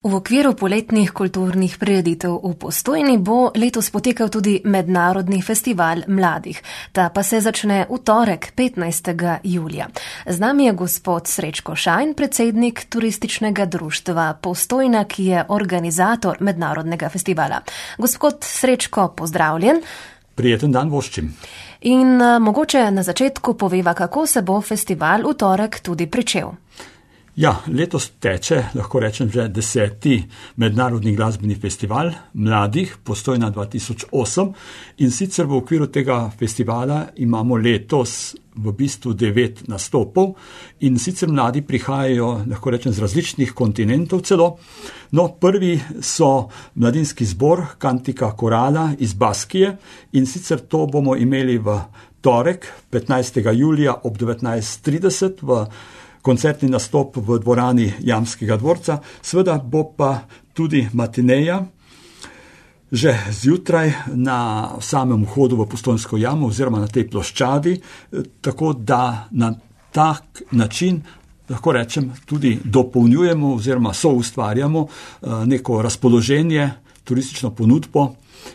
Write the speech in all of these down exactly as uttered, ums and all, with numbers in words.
V okviru poletnih kulturnih prireditev v Postojni bo letos potekal tudi Mednarodni festival mladih. Ta pa se začne v torek, petnajstega julija. Z nami je gospod Srečko Šajn, predsednik turističnega društva Postojna, ki je organizator Mednarodnega festivala. Gospod Srečko, pozdravljen. Prijeten dan voščim. In uh, mogoče na začetku poveva, kako se bo festival v torek tudi pričel. Ja, letos teče, lahko rečem, že deseti mednarodni glasbeni festival mladih Postojna dva tisoč osem in sicer v okviru tega festivala imamo letos v bistvu devet nastopov in sicer mladi prihajajo, lahko rečem, z različnih kontinentov celo. No, prvi so mladinski zbor Cantica Corala iz Baskije in sicer to bomo imeli v torek, petnajstega julija ob devetnajst trideset v koncertni nastop v dvorani Jamskega dvorca. Sveda bo pa tudi matineja že zjutraj na samem vhodu v Postojnsko jamo oziroma na tej ploščadi, tako da na tak način, lahko rečem, tudi dopolnjujemo oziroma soustvarjamo neko razpoloženje, turistično ponudbo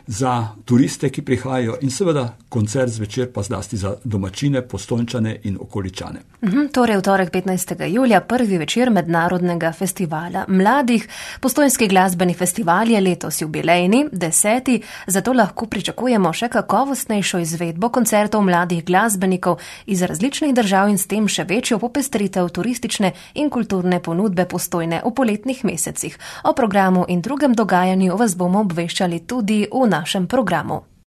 za turiste, ki prihajajo in seveda koncert zvečer pa zlasti za domačine, Postojnčane in okoličane. Uhum, torej v torek petnajstega julija prvi večer Mednarodnega festivala mladih. Postojnski glasbeni festival je letos jubilejni, deseti, zato lahko pričakujemo še kakovostnejšo izvedbo koncertov mladih glasbenikov iz različnih držav in s tem še večjo popestritev turistične in kulturne ponudbe Postojne v poletnih mesecih. O programu in drugem dogajanju vas bomo obveščali tudi v našem programu.